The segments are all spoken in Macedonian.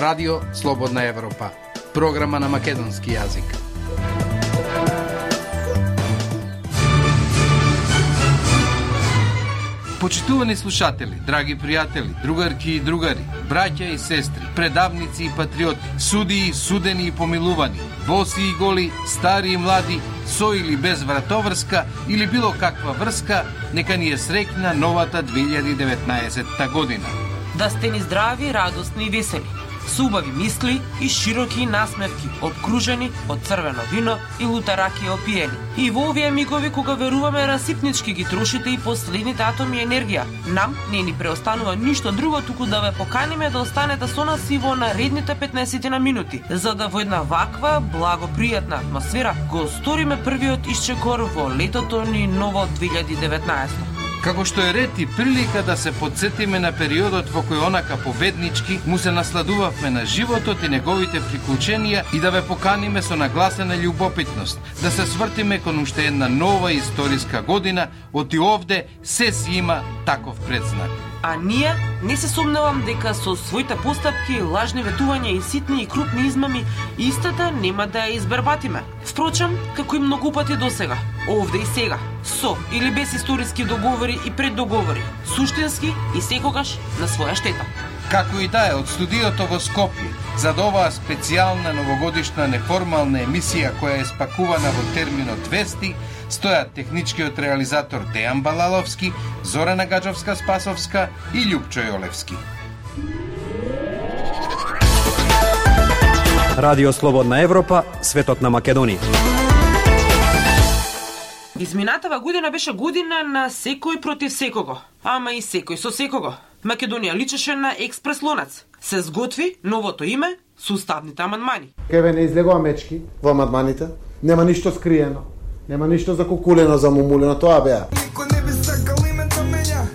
Радио Слободна Европа, програма на македонски јазик. Почитувани слушатели, драги пријатели, другарки и другари, браќа и сестри, предавници и патриоти, судии, судени и помилувани, боси и голи, стари и млади, со или без вратоврска или било каква врска, нека ни е среќна новата 2019 година. Да сте ни здрави, радосни и весели, со убави мисли и широки насмевки, обкружени од црвено вино и лута ракија опиени. И во овие мигови кога веруваме расипнички ги трошите и последните атоми енергија, нам не ни преостанува ништо друго туку да ве поканиме да останете со нас и во наредните 15 на минути, за да во една ваква благопријатна атмосфера го сториме првиот исчекор во летото ни ново 2019. Како што е ред и прилика да се подсетиме на периодот во кој онака победнички му се насладувавме на животот и неговите приклученија и да ве поканиме со нагласена љубопитност, да се свртиме кон уште една нова историска година, оти овде се си има таков предзнак. А ние не се сомневам дека со своите постапки, лажни ветувања и ситни и крупни измами, истата нема да ја избербатиме. Впрочем, како и многу пати досега, овде и сега, со или без историски договори и преддоговори, суштински и секогаш на своја штета. Како и да е, од студиото во Скопје, за оваа специјална новогодишна неформална емисија која е спакувана во терминот вести, стојат техничкиот реализатор Дејан Балаловски, Зорана Гаджовска-Спасовска и Љупчо Јолевски. Радио Слободна Европа, светот на Македонија. Изминатава година беше година на секој против секого, ама и секој со секого. Македонија личеше на експрес лонац. Се сготви новото име со уставните амандмани. Кеве не излегува мечки во амандманите, нема ништо скриено, нема ништо закукулено, замумулено, тоа беа. Никој не би сакал име да менја,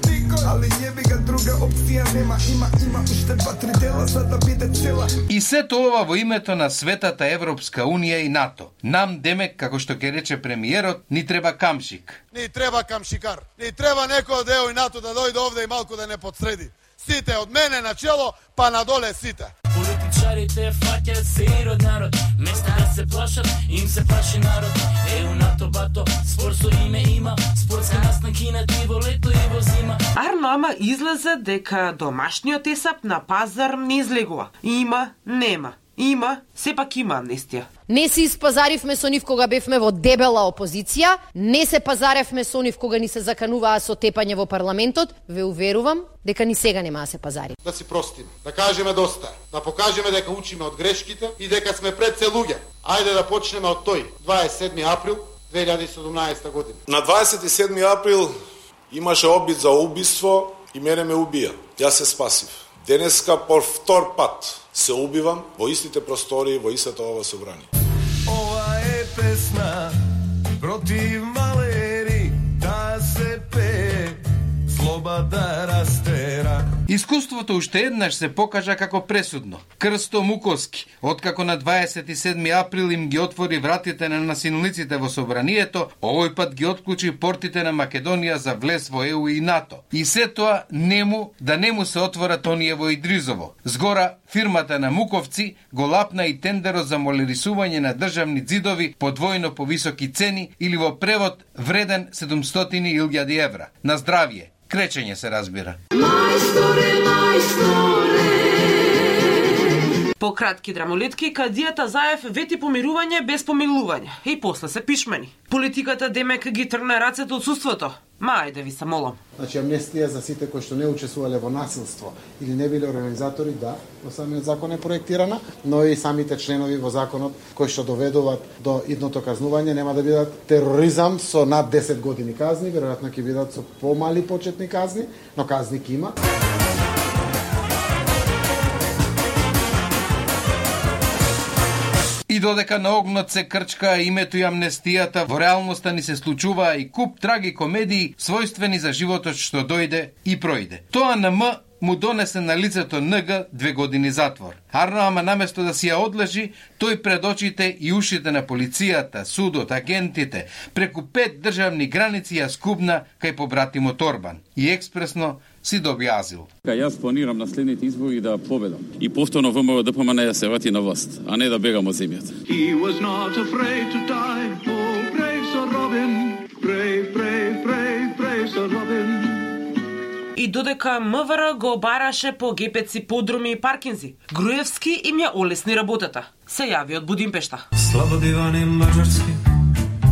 али јеби га друга опција нема, има уште 2-3 дела за да биде цела. И сето ова во името на светата Европска Унија и НАТО. Нам, демек, како што ќе рече премиерот, ни треба камшик. Ни треба камшикар. Ни треба некој од ЕУ и НАТО да дојде овде и малку да не подсреди. Сите од мене на чело, па надоле сите. Политичарите фаќаат се од народ, место да се плашат, им се плаши народ. ЕУ, НАТО, бато, спор со име има, спортска настани на и во лето и во зима. Арно, ама излезе дека домашниот есап на пазар не излегува. Има, нема. Има, сепак има амнестија. Не се испазаривме со нив кога бевме во дебела опозиција, не се пазаревме со нив кога ни се закануваа со тепање во парламентот, ве уверувам дека ни сега нема да се пазари. Да си простиме, да кажеме доста, да покажеме дека учиме од грешките и дека сме пред се луѓе. Ајде да почнеме од тој, 27 април 2017 година. На 27 април имаше обид за убиство и мене ме убија. Јас се спасив. Денеска по втор пат се убивам во истите простори, во истата ова собрание. Ова е песна против малери, да се пее, злоба да растера. Искуството уште еднаш се покажа како пресудно. Крсто Муковски, откако на 27 април им ги отвори вратите на насилниците во собранието, овој пат ги отклучи портите на Македонија за влез во ЕУ и НАТО. И се тоа не му се отворат оние во Идризово. Згора, фирмата на Муковци го лапна и тендерот за молерисување на државни ѕидови по двојно повисоки цени или во превод вреден 700.000 евра. На здравје. Кречење се разбира. По кратки драмолетки, кадијата Заев вети помирување без помилување. И после се пишмени. Политиката демек ги тргна рацете од суството. Ма, ајде ви се молам. Значи, амнестија за сите кои што не учествувале во насилство или не биле организатори, да, во самиот закон е проектирана, но и самите членови во законот кои што доведуваат до идното казнување нема да бидат тероризам со над 10 години казни, веројатно ќе бидат со помали почетни казни, но казни ќе има. И додека на огнот се крчка името и амнестијата, во реалноста ни се случуваа и куп траги комедии, својствени за животот што дојде и пројде. Тоа на М му донесе на лицето НГ 2 години затвор. Арно Ама наместо да си ја одлежи, тој пред очите и ушите на полицијата, судот, агентите, преку 5 државни граници ја скубна кај побратимот Орбан и експресно си доби азил. Јас планирам на следните избори да победам и повторно ВМРО ДПМН да се врати на власт, а не да бегам од земјата. He was not afraid to die. Oh, brave Sir Robin, brave, brave, brave, brave Sir Robin. И додека МВР го бараше по гепеци, подруми и паркинзи, Груевски им ја олесни работата. Се јави од Будимпешта. Слабо дивани мажарски,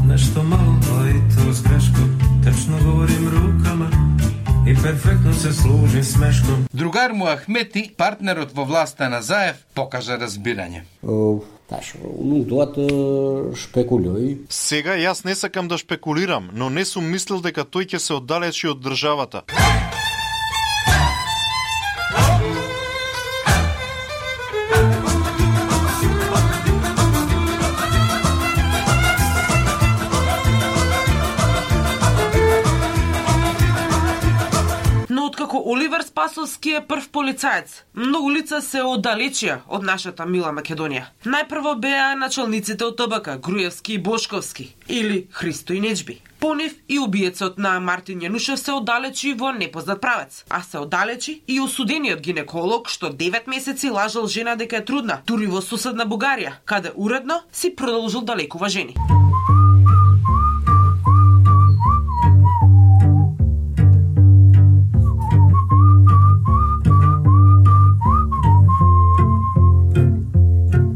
нешто мало и с грешко, течно говорим рукама и перфектно се служи смешком. Другар му Ахмети, партнерот во власта на Заев, покажа разбирање. Сега јас не сакам да шпекулирам, но не сум мислил дека тој ќе се оддалечи од државата. Откако Оливер Спасовски е прв полицаец, многу лица се оддалечија од нашата мила Македонија. Најпрво беа началниците од ТБК, Груевски и Бошковски, или Христо и Неџби. По нив и убиецот на Мартин Јанушев се оддалечи во непознат правец, а се оддалечи и осудениот гинеколог што 9 месеци лажал жена дека е трудна, дури во соседна Бугарија, каде уредно си продолжил да лекува жени.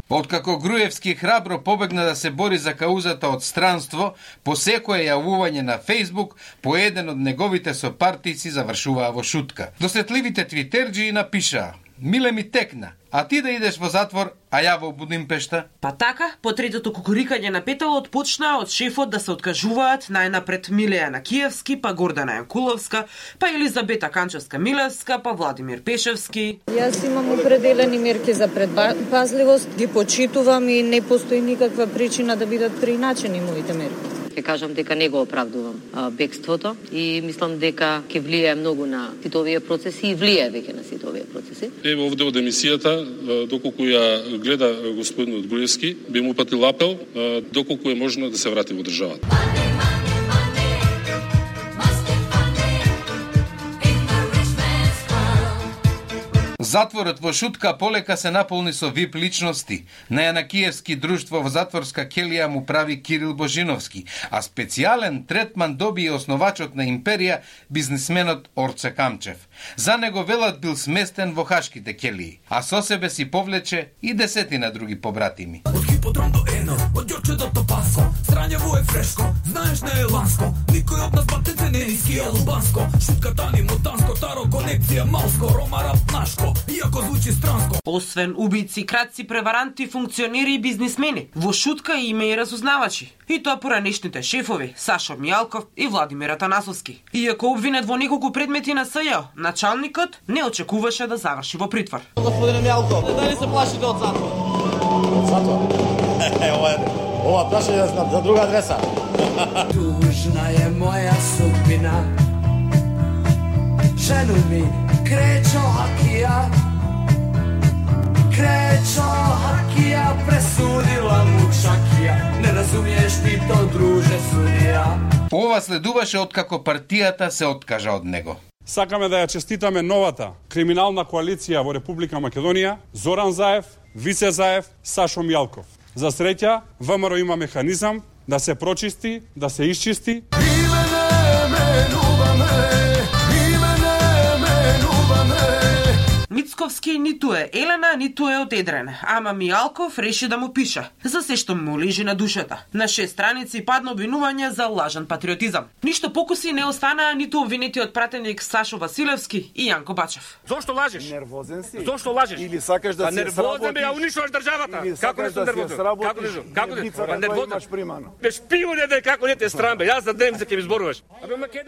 Откако Груевски храбро побегна да се бори за каузата од странство, по секое јавување на Фејсбук, по еден од неговите сопартици завршуваа во шутка. Досетливите твитерџи напишаа: "Миле ми текна, а ти да идеш во затвор, а ја во Будимпешта?" Па така, по третото кукурикање на петалот почна од шефот да се откажуваат најнапред Милеја Накиевски, па Гордана Јанкуловска, па Елизабета Канчевска-Милевска, па Владимир Пешевски. Јас имам определени мерки за предпазливост, ги почитувам и не постои никаква причина да бидат преиначени моите мерки. Ќе кажам дека не го оправдувам бегството и мислам дека ќе влијае многу на сите овие процеси и влијае веќе на сите овие процеси. Еве овде од емисијата, доколку ја гледа господинот Груевски, би му упатил апел доколку е можно да се врати во државата. Затворот во шутка полека се наполни со вип личности. На Јанакиевски друштво во затворска келија му прави Кирил Божиновски, а специјален третман доби и основачот на империја, бизнисменот Орце Камчев. За него велат бил сместен во хашките келии, а со себе си повлече и десетина други побратими. Од хиподром до Ено, од Јорче до Топаско, Странјево е фрешко, знаеш не е ланско, никој од нас батенце не е скијал убанско, шутката ни мутанско, таро конекција малско, рома рап нашко, иако звучи странско. Освен убици, крадци, преваранти, функционери и бизнисмени, во шутка има и разузнавачи. И тоа поранешните шефови, Сашо Мијалков и Владимир Атанасовски. Иако обвинет во неколку предмети на СЈО, началникот не очекуваше да заврши во притвор. Господине Мијалков, дали се плашите од затвор? Од затвор? Ова прашање знам за друга адреса. Тужна е моја судбина, жену ми Кречо Хакија, Кречо Хакија пресудила му Шакија, не разумиеш ти то, друже судија. Ова следуваше откако партијата се откажа од него. Сакаме да ја честитаме новата криминална коалиција во Република Македонија, Зоран Заев, Вице Заев, Сашо Мијалков. За среќа, ВМРО има механизам да се прочисти, да се исчисти. Мицковски ниту е Елена, ниту е од Едрен, ама Мијалков реши да му пише за се што му лежи на душата. На 6 страници падна обвинување за лажен патриотизам. Ништо покуси не останаа ниту обвинетиот пратеник Сашо Василевски и Јанко Бачев. Зошто лажеш? Нервозен си? Зошто лажеш? Или сакаш да се сработиш? Нервозен бе, ја унишуваш државата. Како не сум нервозен? Како не? Имаш примано. Бе шпион е како не те срам бе. Јас за дневница ќе ми зборуваш.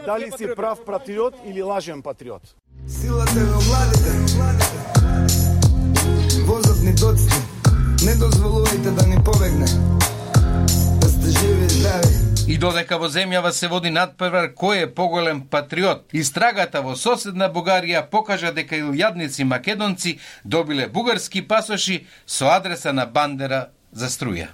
Дали си прав патриот или лажен патриот? Силата во младите, возот ни доцни, не дозволувајте да ни побегне, да сте живи и здрави. И И додека во земјава се води надпревар кој е поголем патриот, истрагата во соседна Бугарија покажа дека илјадници македонци добиле бугарски пасоши со адреса на Бандера за струја.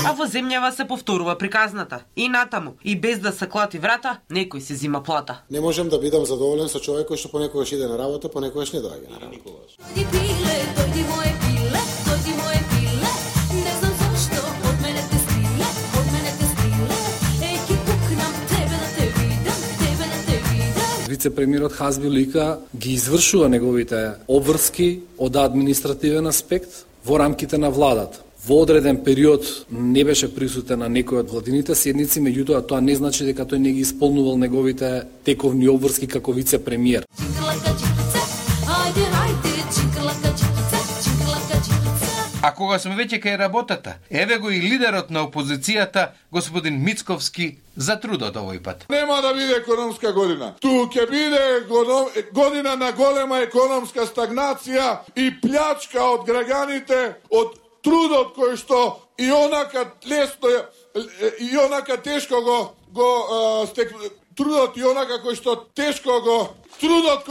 А во земјава се повторува приказната. И натаму, и без да се клати врата, некој се зима плата. Не можам да бидам задоволен со човек кој што понекогаш иде на работа, понекогаш не доаѓа на работа. Вице-премиерот Хазби Лика ги извршува неговите обврски од административен аспект во рамките на владата. Во одреден период не беше присутен на некој од владините седници, меѓутоа тоа не значи дека тој не ги исполнувал неговите тековни обврски како вице-премиер. А кога сме веќе кај работата, еве го и лидерот на опозицијата, господин Мицковски, за трудот овој пат. Нема да биде економска година. Ту ќе биде година на голема економска стагнација и плячка од граѓаните, од трудот кој што и онака лесно и онака тешко трудот и онака кој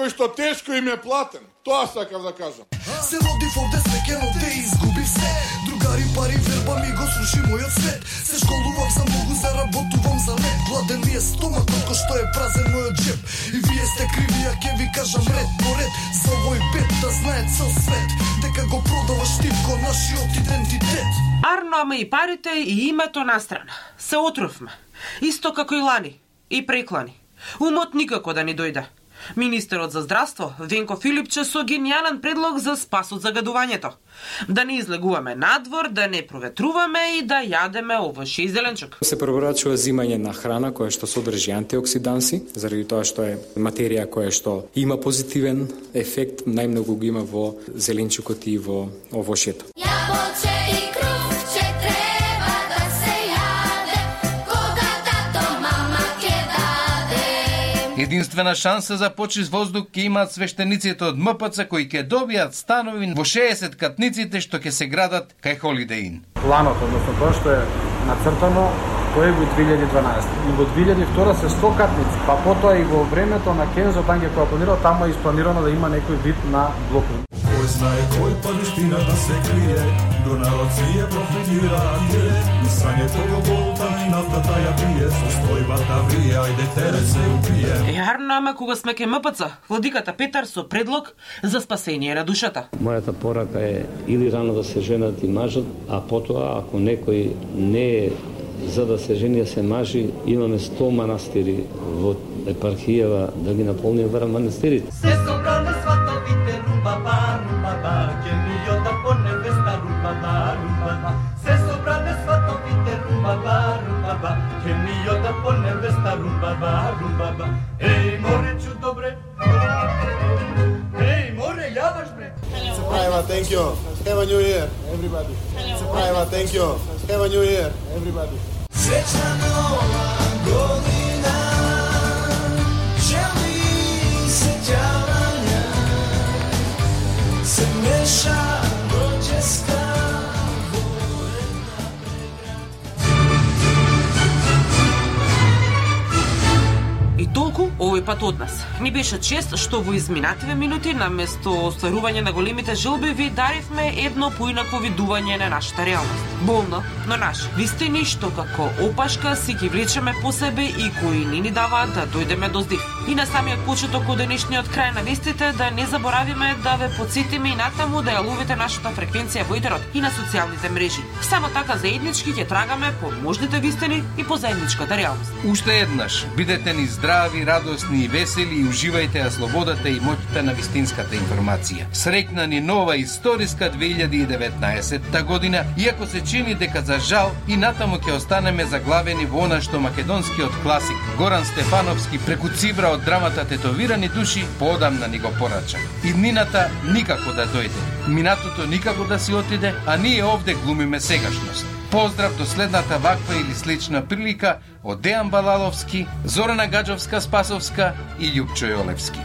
што тешко им е платен. Тоа сакав да кажам. Се води овде свекено те изгуби се. Другари, пари, верба ми го сруши мојот свет. Се школувам за многу, заработувам за лет. Гладен ми е стомакот кој што е празен мојот джеп. И вие сте криви, а ке ви кажам ред по ред. За овој бед да знае цел свет. Дека го продаваш типко нашиот идентитет. Арно, ама и парите и името настрана. Се отрувме. Исто како и лани. И преклани. Умот никако да ни дојде. Министерот за здравство, Венко Филипче, со генијален предлог за спас од загадувањето. Да не излегуваме надвор, да не проветруваме и да јадеме овош и зеленчук. Се препорачува зимање на храна која што содржи антиоксиданси, заради тоа што е материја која што има позитивен ефект, најмногу го има во зеленчукот и во овошјето. Единствена шанса за почист воздух ќе имаат свештениците од МПЦ кои ќе добијат станови во 60 катниците што ќе се градат кај Holiday Inn. Планот, односно тоа што е нацртано, тоа е во 2012. И во 2002 се 100 катници, па потоа и во времето на Кензо, там ќе која планирал, таму е испланирано да има некој вид на блокови. Кој знае кој падиштина да се крие, до народ си е профитира, и сањето го болта и нафтата ја пие, со стојбата врие, ајде терет се упие. Јарно, ама кога сме ке МПЦ, владиката Петар со предлог за спасение на душата. Мојата порака е или рано да се женат и мажат, а потоа, ако некој не е за да се жени, се мажи, имаме 100 манастири во епархијава да ги наполниме вара манастирите. Се собране сватовите румбаба, румбаба, ќемијота по невеста румбаба, румбаба. Се собране сватовите румбаба, румбаба, ќемијота по невеста румбаба, румбаба. Еј, моречу добре. Еј, море, јадаш бре. Surprise, thank you. Have a new year, everybody. Surprise, thank you. Have a new year, everybody. Srećna nova godina, želi se djavanja, se meša rođeska. И толку овој пат од нас. Ни беше чест што во изминативе минути наместо остварување на големите желби ви даривме едно поинако видување на нашата реалност. Болно, но наш. Вистини што како опашка си ги влечеме по себе и кои не ни даваат да дојдеме до здив. И на самиот почеток од денешниот крај на вестите да не заборавиме да ве потсетиме и натаму да ја ловите нашата фреквенција во етерот и на социјалните мрежи. Само така заеднички ќе трагаме по можните вистини и по заедничката реалност. Уште еднаш, бидете ни здрави, радосни и весели и уживајте ја слободата и моќта на вистинската информација. Среќна ни нова историска 2019 година, иако се чини дека за жал и натаму ќе останеме заглавени во она што македонскиот класик Горан Стефановски преку цибра од драмата Тетовирани души поодамна ни го порача. Иднината никако да дојде, минатото никако да си отиде, а ние овде глумиме сегашност. Поздрав до следната ваква или слична прилика од Дејан Балаловски, Зорана Гаджовска-Спасовска и Љупчо Јолевски.